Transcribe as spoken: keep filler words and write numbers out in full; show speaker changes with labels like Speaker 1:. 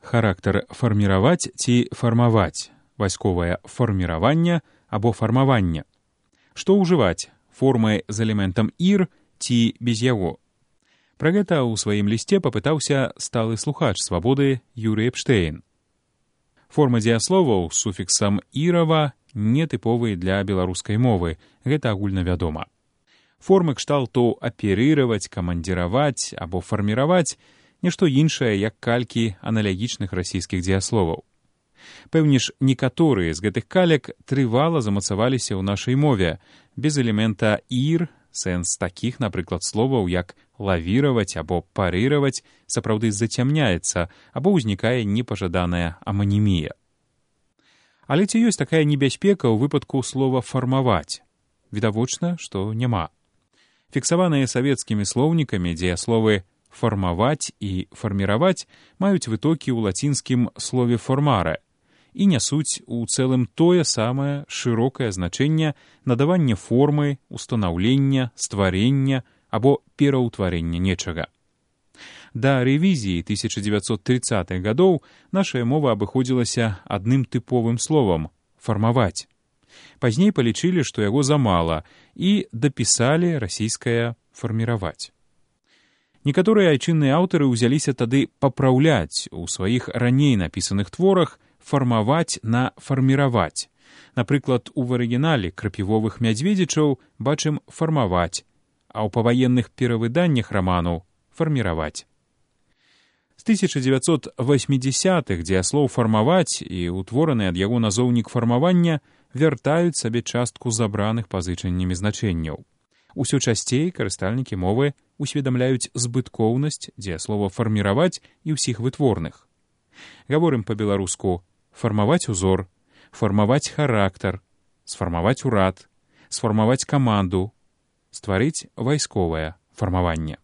Speaker 1: Характар фарміраваць ці фармаваць, вайсковае фарміраванне або фармаванне. Што ўжываць, формы з элементам «ір» ці без яго? Пра гэта ў сваім лісце папытаўся сталы слухач «Свабоды» Юрый Эпштейн. Формы дзеясловаў з суфіксам «ірава» нетыповыя для беларускай мовы, гэта агульнавядома. Формы кшталту аперыраваць, камандзіраваць або фарміраваць нешто іншае, як калькі аналагічных расійскіх дзеясловаў. Пэўне ж, некаторыя з гэтых калек трывала замацаваліся ў нашай мове, без элемента «ір», сэнс такіх, напрыклад, словаў, як лавіраваць або парыраваць, сапраўды зацямняецца або ўзнікае непажаданая аманімія. Але ці ёсць такая небяспека ў выпадку слова «фармаваць»? Відавочна, што няма. Фіксаваныя савецкімі слоўнікамі дзеясловы «фармаваць» і «фарміраваць» маюць вытокі ў лацінскім слове «формаре» і нясуць у цэлым тое самае шырокае значэнне надавання формы, устанаўлення, стварення або пераўтварення нечага. Да рэвізіі тысяча дзевяцьсот трыццатых гадоў нашая мова абыходзілася адным тыповым словам «фармаваць». Пазней палічылі, што яго замала, і дапісалі расійскае «фарміраваць». Некаторыя айчынныя аўтары ўзяліся тады папраўляць у сваіх раней напісаных творах фармаваць на фарміраваць. Напрыклад, у арыгінале крапівовых мядзведзічаў бачым фармаваць, а ў паваенных перавыданнях раману фарміраваць. З тысяча дзевяцьсот васьмідзясятых дзеяслоў фармаваць і ўтвораны ад яго назоўнік фармавання вяртаюць сабе частку забраных пазычаннямі значэнняў. Усё часцей карыстальнікі мовы усведамляюць збыткоўнасць дзеяслова фарміраваць і ўсіх вытворных. Гаворым па-беларуску фармаваць узор, фармаваць характар, сфармаваць урад, сфармаваць каманду, стварыць вайсковае фармаванне.